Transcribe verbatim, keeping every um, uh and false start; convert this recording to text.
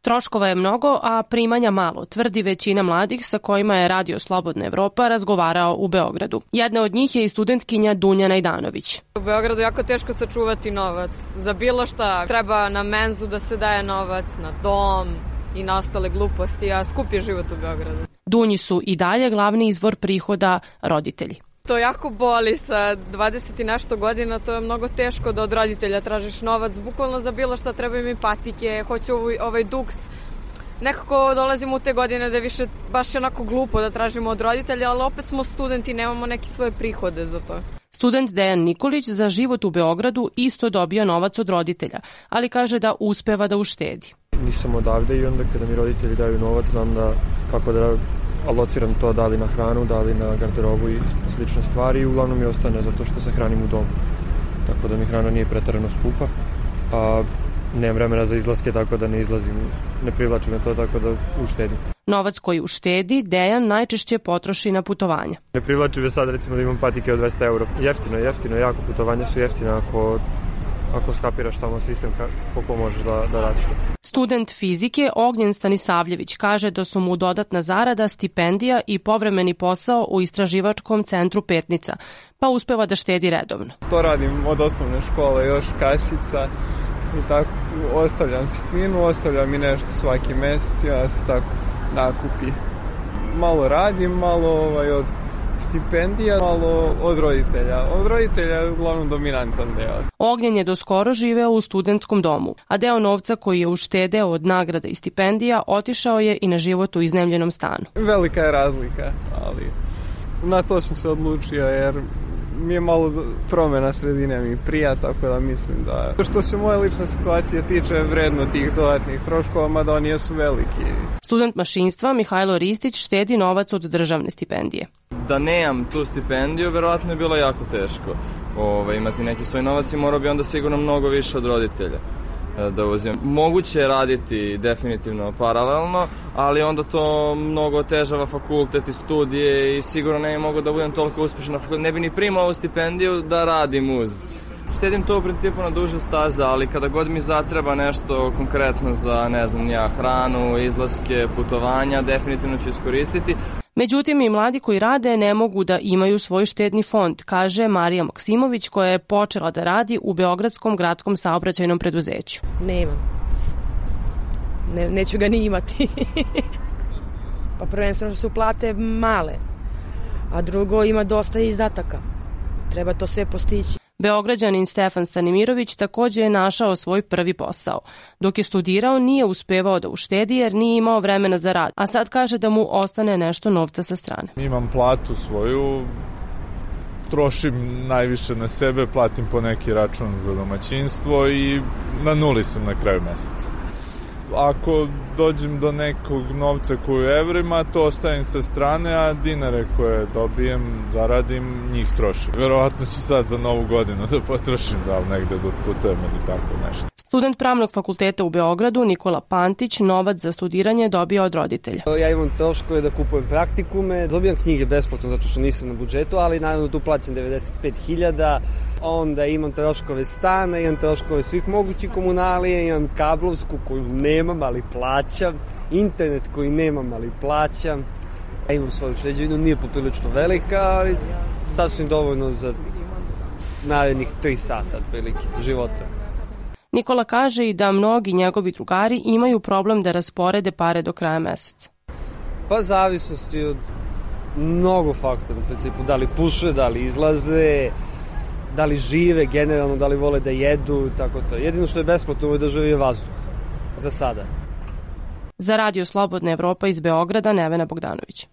Troškova je mnogo, a primanja malo, tvrdi većina mladih sa kojima je Radio Slobodna Evropa razgovarao u Beogradu. Jedna od njih je i studentkinja Dunja Najdanović. U Beogradu jako teško sačuvati novac. Za bilo šta treba na menzu da se daje novac, na dom i na ostale gluposti, a skup je život u Beogradu. Dunji su i dalje glavni izvor prihoda roditelji. To jako boli, sa dvadeset i nešto godina, to je mnogo teško da od roditelja tražiš novac, bukvalno za bilo šta, treba im i patike, hoću ovaj, ovaj duks. Nekako dolazimo u te godine da je više baš onako glupo da tražimo od roditelja, ali opet smo studenti, nemamo neke svoje prihode za to. Student Dejan Nikolić za život u Beogradu isto dobio novac od roditelja, ali kaže da uspeva da uštedi. Nisam odavde i onda kada mi roditelji daju novac, znam da kako da alociram to, da li na hranu, da li na garderobu i slične stvari, i uglavnom mi ostane zato što se hranim u domu. Tako da mi hrana nije preterano skupa, a nemam vremena za izlaske, tako da ne izlazim, ne privlači me to, tako da uštedim. Novac koji uštedi Dejan najčešće potroši na putovanja. Ne privlači me sad recimo da imam patike od dvesta eura. Jeftino, jeftino, jako putovanja su jeftine ako, ako skapiraš samo sistem koliko možeš da, da radiš. Student fizike Ognjen Stanisavljević kaže da su mu dodatna zarada, stipendija i povremeni posao u istraživačkom centru Petnica, pa uspeva da štedi redovno. To radim od osnovne škole, još kasica i tako ostavljam sitninu, ostavljam i nešto svaki mesec, ja se tako nakupi. Malo radim, malo ovaj, od stipendija, malo od roditelja. Od roditelja je uglavnom dominantan deo. Ognjen je doskoro živeo u studentskom domu, a deo novca koji je uštedeo od nagrada i stipendija otišao je i na život u iznajmljenom stanu. Velika je razlika, ali na to sam se odlučio jer mi je malo promjena sredine mi prija, tako da mislim da što se moje lične situacije tiče vredno tih dodatnih troškova, mada oni jesu veliki. Student mašinstva Mihajlo Ristić štedi novac od državne stipendije. Da nemam tu stipendiju, verovatno je bilo jako teško Ove, imati neki svoj novac i morao bi onda sigurno mnogo više od roditelja da uzimam. Moguće je raditi definitivno paralelno, ali onda to mnogo otežava fakultet i studije i sigurno ne mogu da budem toliko uspešan na fakultetu. Ne bi ni primao ovu stipendiju da radim uz. Štedim to u principu na duže staze, ali kada god mi zatreba nešto konkretno za, ne znam, ja, hranu, izlaske, putovanja, definitivno ću iskoristiti. Međutim, i mladi koji rade ne mogu da imaju svoj štedni fond, kaže Marija Maksimović, koja je počela da radi u Beogradskom gradskom saobraćajnom preduzeću. Nemam. Ne, neću ga ni imati. Pa prvenstveno su plate male, a drugo ima dosta izdataka. Treba to sve postići. Beograđanin Stefan Stanimirović takođe je našao svoj prvi posao. Dok je studirao, nije uspevao da uštedi jer nije imao vremena za rad, a sad kaže da mu ostane nešto novca sa strane. Imam platu svoju, trošim najviše na sebe, platim po neki račun za domaćinstvo i na nuli sam na kraju meseca. Ako dođem do nekog novca koji je evrima, to ostavim sa strane, a dinare koje dobijem, zaradim, njih trošim. Verovatno ću sad za novu godinu da potrošim, da li negde da putujem ili tako nešto. Student Pravnog fakulteta u Beogradu Nikola Pantić novac za studiranje dobio od roditelja. Ja imam troškove da kupujem praktikume, dobijam knjige besplatno zato što nisam na budžetu, ali naravno tu plaćam devedeset pet hiljada. Onda imam troškove stana, imam troškove svih mogućih komunalija, imam kablovsku koju nemam, ali plaćam, internet koji nemam, ali plaćam. Ja imam svoju šeđevinu, nije poprilično velika, ali sasvim dovoljno za narednih tri sata otprilike života. Nikola kaže i da mnogi njegovi drugari imaju problem da rasporede pare do kraja meseca. Pa zavisnosti od mnogo faktora, u principu da li puše, da li izlaze, da li žive generalno, da li vole da jedu, tako to. Jedino što je besplatno u ovoj državi je vazduh. Za sada. Za Radio Slobodna Evropa iz Beograda, Nevena Bogdanović.